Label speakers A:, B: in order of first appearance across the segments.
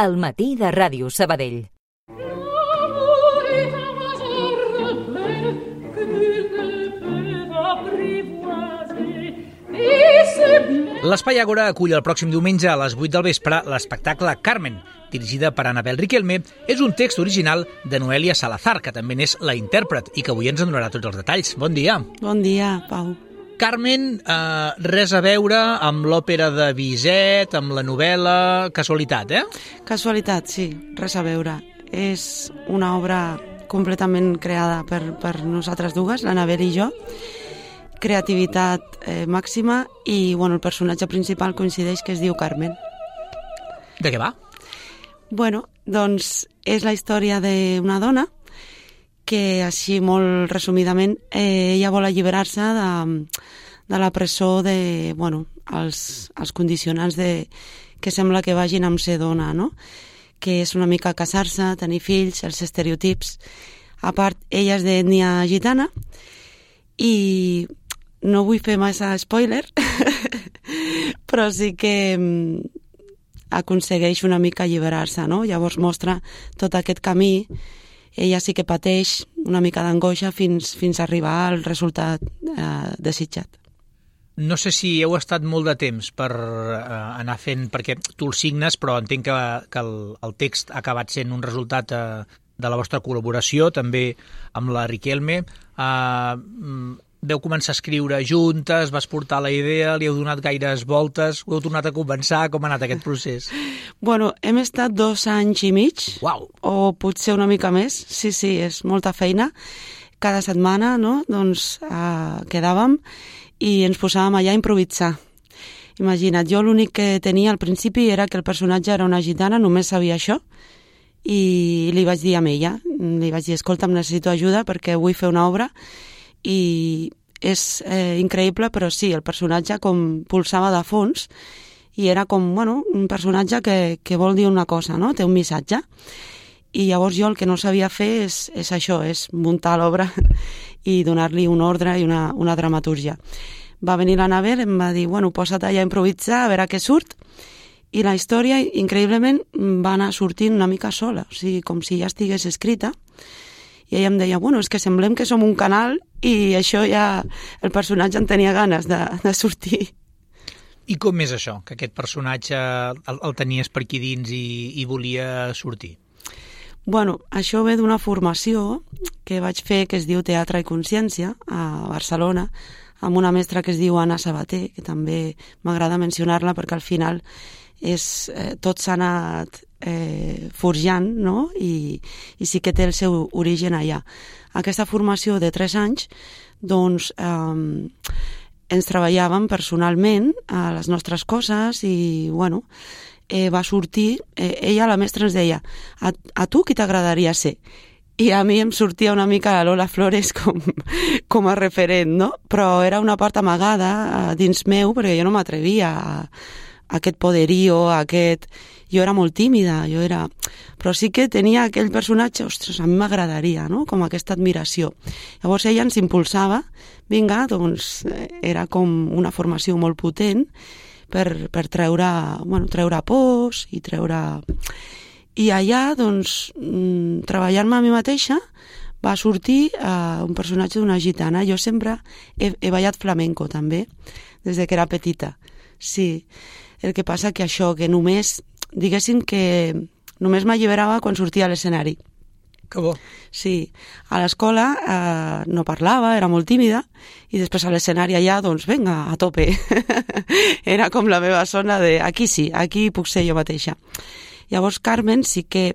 A: al matí de Ràdio Sabadell.
B: L'Espai Àgora acull el pròxim diumenge a les 8 del vespre l'espectacle Carmen, dirigida per Anabel Riquelme. És un text original de Noelia Salazar, que també n'és la intèrpret i que avui ens en donarà tots els detalls. Bon dia.
C: Bon dia, Pau.
B: Carmen, res a veure amb l'òpera de Bizet, amb la novel·la... Casualitat, eh?
C: Casualitat, sí, res a veure. És una obra completament creada per nosaltres dues, l'Anabel i jo. Creativitat màxima i el personatge principal coincideix que es diu Carmen.
B: De què va?
C: Doncs és la història d'una dona que, així molt resumidament, ella vol alliberar-se de la presó de, els condicionants que sembla que vagin amb ser dona, no? Que és una mica casar-se, tenir fills, els estereotips. A part, ella és d'ètnia gitana i no vull fer massa spoiler, però sí que aconsegueix una mica alliberar-se, no? Llavors mostra tot aquest camí. Ella sí que pateix una mica d'angoixa fins a arribar al resultat desitjat.
B: No sé si heu estat molt de temps per anar fent, perquè tu el signes, però entenc que el text ha acabat sent un resultat de la vostra col·laboració, també amb la Riquelme. Veu començar a escriure juntes, vas portar la idea, li heu donat gaires voltes, ho heu tornat a començar, com ha anat aquest procés?
C: Hem estat 2 anys i mig,
B: Uau.
C: O potser una mica més, sí, és molta feina. Cada setmana, no?, quedàvem i ens posàvem allà a improvisar. Imagina't, jo l'únic que tenia al principi era que el personatge era una gitana, només sabia això, i li vaig dir a ella, li vaig dir, escolta'm, necessito ajuda perquè vull fer una obra, i és increïble, però sí, el personatge com pulsava de fons i era com, un personatge que vol dir una cosa, no? Té un missatge. I llavors jo el que no sabia fer és això, és muntar l'obra i donar-li un ordre i una dramatúrgia. Va venir l'Anabel, em va dir, posa't allà a improvisar, a veure què surt, i la història, increïblement, va anar sortint una mica sola, o sigui, com si ja estigués escrita. I ella em deia, és que semblem que som un canal i això ja el personatge en tenia ganes de sortir.
B: I com és això, que aquest personatge el tenies per aquí dins i volia sortir?
C: Això ve d'una formació que vaig fer que es diu Teatre i Consciència a Barcelona, amb una mestra que es diu Anna Sabater, que també m'agrada mencionar-la perquè al final tot s'ha anat forjant, no? I sí que té el seu origen allà. Aquesta formació de 3 anys, ens treballàvem personalment a les nostres coses i, va sortir, ella, la mestra, ens deia, a tu qui t'agradaria ser? I a mi em sortia una mica la Lola Flores com a referent, no? Però era una part amagada dins meu, perquè jo no m'atrevia a aquest poderío, Jo era molt tímida, però sí que tenia aquell personatge, ostres, a mi m'agradaria, no?, com aquesta admiració. Llavors ella ens impulsava, vinga, era com una formació molt potent per treure pors i treure... I allà, treballant-me a mi mateixa, va sortir un personatge d'una gitana. Jo sempre he ballat flamenco, també, des que era petita. Sí, el que passa que això, que diguéssim que només m'alliberava quan sortia a l'escenari.
B: Que bo.
C: Sí, a l'escola no parlava, era molt tímida, i després a l'escenari allà, vinga, a tope. Era com la meva zona de, aquí sí, aquí puc ser jo mateixa. Llavors Carmen sí que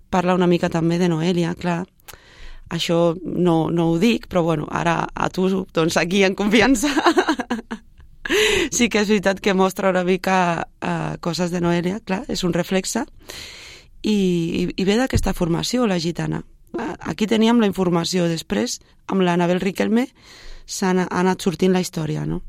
C: parla una mica també de Noelia, clar, això no ho dic, però ara a tu, aquí en confiança, sí que és veritat que mostra una mica coses de Noelia, clar, és un reflexe, i ve d'aquesta formació, la gitana. Aquí teníem la informació, després, amb l'Anabel Riquelme, s'ha anat sortint la història, no?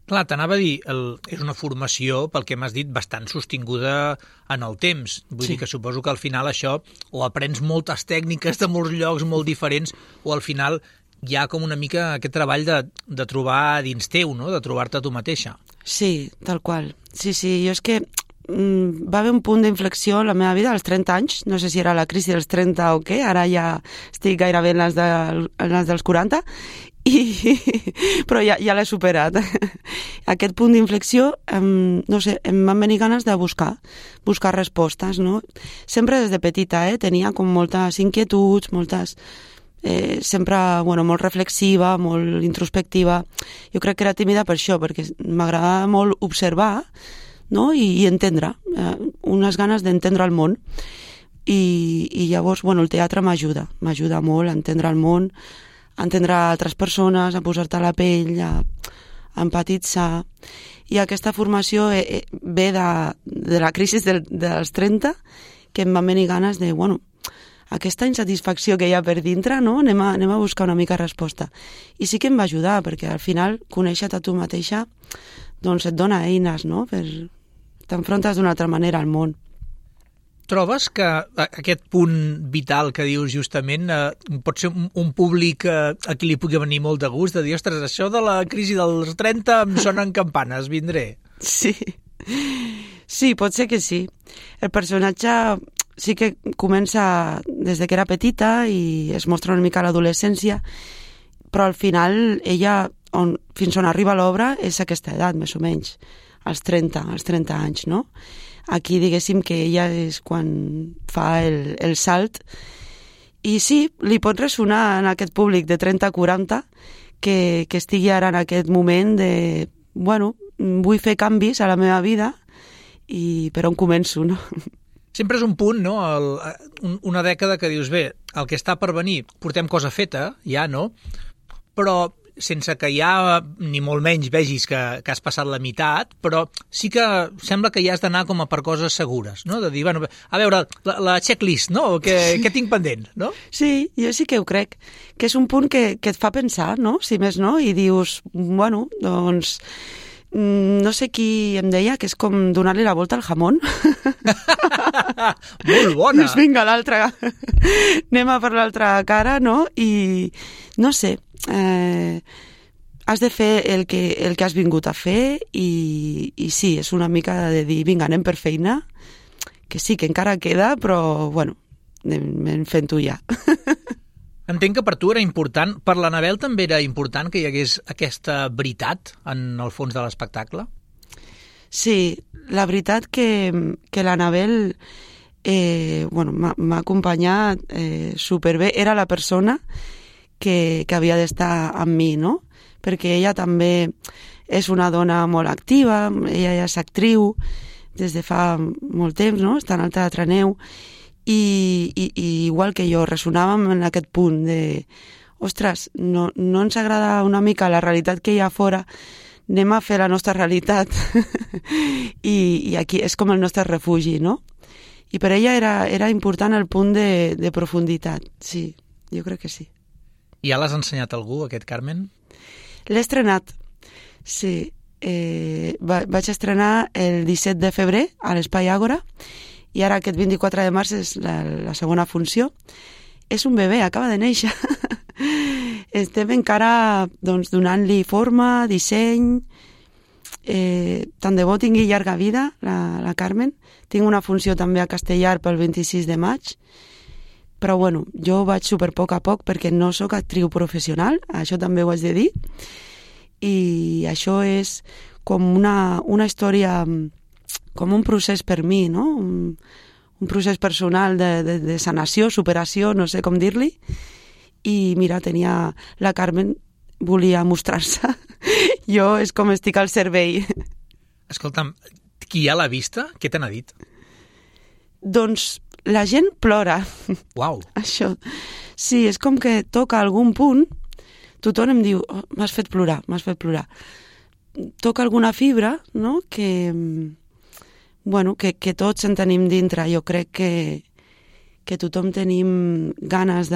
B: Clar, t'anava a dir, és una formació, pel que m'has dit, bastant sostinguda en el temps. Vull dir que suposo que al final això o aprens moltes tècniques de molts llocs molt diferents o al final hi ha com una mica aquest treball de trobar dins teu, no?, de trobar-te tu mateixa.
C: Sí, tal qual. Sí, jo és que va haver un punt d'inflexió en la meva vida als 30 anys, no sé si era la crisi dels 30 o què, ara ja estic gairebé en les dels 40, però ja l'he superat. Aquest punt d'inflexió, no sé, em van venir ganes de buscar respostes, no? Sempre des de petita, tenia com moltes inquietuds, sempre, molt reflexiva, molt introspectiva. Jo crec que era tímida per això, perquè m'agradava molt observar, no? I entendre, unes ganes d'entendre el món. I llavors, el teatre m'ajuda molt a entendre el món, a entendre altres persones, a posar-te a la pell, a empatitzar. I aquesta formació ve de la crisi dels 30, que em van venir ganes de, aquesta insatisfacció que hi ha per dintre, no? Anem a buscar una mica resposta. I sí que em va ajudar, perquè al final, conèixer-te a tu mateixa, doncs et dona eines, no? T'enfrontes d'una altra manera al món.
B: Trobes que aquest punt vital que dius justament pot ser un públic a qui li pugui venir molt de gust, de dir, ostres, això de la crisi dels 30 em sonen campanes, vindré. Sí, pot ser que sí. El personatge sí que comença des de que era petita i es mostra una mica a l'adolescència, però al final ella, fins on arriba l'obra, és aquesta edat, més o menys, als 30 anys, no? Aquí, diguéssim, que ella és quan fa el salt. I sí, li pot ressonar en aquest públic de 30-40 que estigui ara en aquest moment de, vull fer canvis a la meva vida i per on començo, no? Sempre és un punt, no? Una dècada que dius, bé, el que està per venir, portem cosa feta, ja, no? Però sense que ja ni molt menys vegis que has passat la meitat, però sí que sembla que ja has d'anar com a per coses segures, no? De dir, a veure, la checklist, no? Què tinc pendent, no?
C: Sí, jo sí que ho crec, que és un punt que et fa pensar, no? Si més no, i dius, doncs no sé qui em deia que és com donar-li la volta al jamón.
B: Molt bona!
C: Doncs vinga, l'altra. Anem a per l'altra cara, no? I no sé, has de fer el que has vingut a fer i sí, és una mica de dir, vinga, anem per feina, que sí, que encara queda, però, anem fent-ho ja.
B: Entenc que per tu era important, per l'Anabel també era important que hi hagués aquesta veritat en el fons de l'espectacle?
C: Sí, la veritat que l'Anabel m'ha acompanyat superbé. Era la persona que havia d'estar amb mi, no? Perquè ella també és una dona molt activa, ella ja és actriu des de fa molt temps, no? Està en el Teatre Neu, i igual que jo ressonàvem en aquest punt de ostres, no ens agrada una mica la realitat que hi ha fora, anem a fer la nostra realitat i aquí és com el nostre refugi, no? I per ella era important el punt de profunditat, sí, jo crec que sí.
B: I ja l'has ensenyat a algú, aquest Carmen?
C: L'he estrenat, sí. Vaig estrenar el 17 de febrer a l'Espai Àgora i ara aquest 24 de març és la segona funció. És un bebè, acaba de néixer. Estem encara donant-li forma, disseny, tant de bo tingui llarga vida, la Carmen. Tinc una funció també a Castellar pel 26 de maig, però jo vaig super poc a poc perquè no sóc actriu professional, això també ho haig de dir, i això és com una història, com un procés per mi, no? Un procés personal de sanació, superació, no sé com dir-li, i mira, la Carmen volia mostrar-se. Jo és com estic al servei.
B: Escolta'm, qui ja l'ha vista? Què te n'ha dit?
C: Doncs la gent plora.
B: Uau!
C: Això. Sí, és com que toca algun punt, tothom em diu, m'has fet plorar. Toca alguna fibra, no?, que tots en tenim dintre. Jo crec que tothom tenim ganes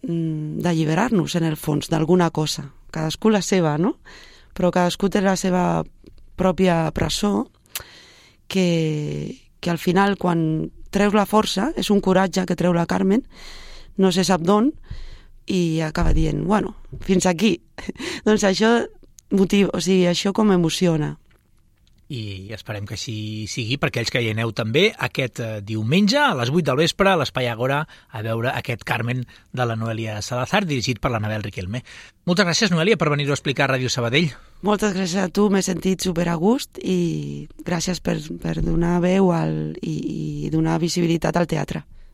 C: d'alliberar-nos, en el fons, d'alguna cosa. Cadascú la seva, no? Però cadascú té la seva pròpia presó que al final, quan treus la força, és un coratge que treu la Carmen, no se sap d'on, i acaba dient, fins aquí. Doncs això motiva, això com emociona.
B: i esperem que així sigui per aquells que hi aneu també aquest diumenge a les 8 del vespre a l'Espai Agora a veure aquest Carmen de la Noelia Salazar, dirigit per l'Anabel Riquelme. Moltes gràcies, Noelia, per venir-ho a explicar a Ràdio Sabadell.
C: Moltes gràcies a tu, m'he sentit super a gust i gràcies per donar veu i donar visibilitat al teatre.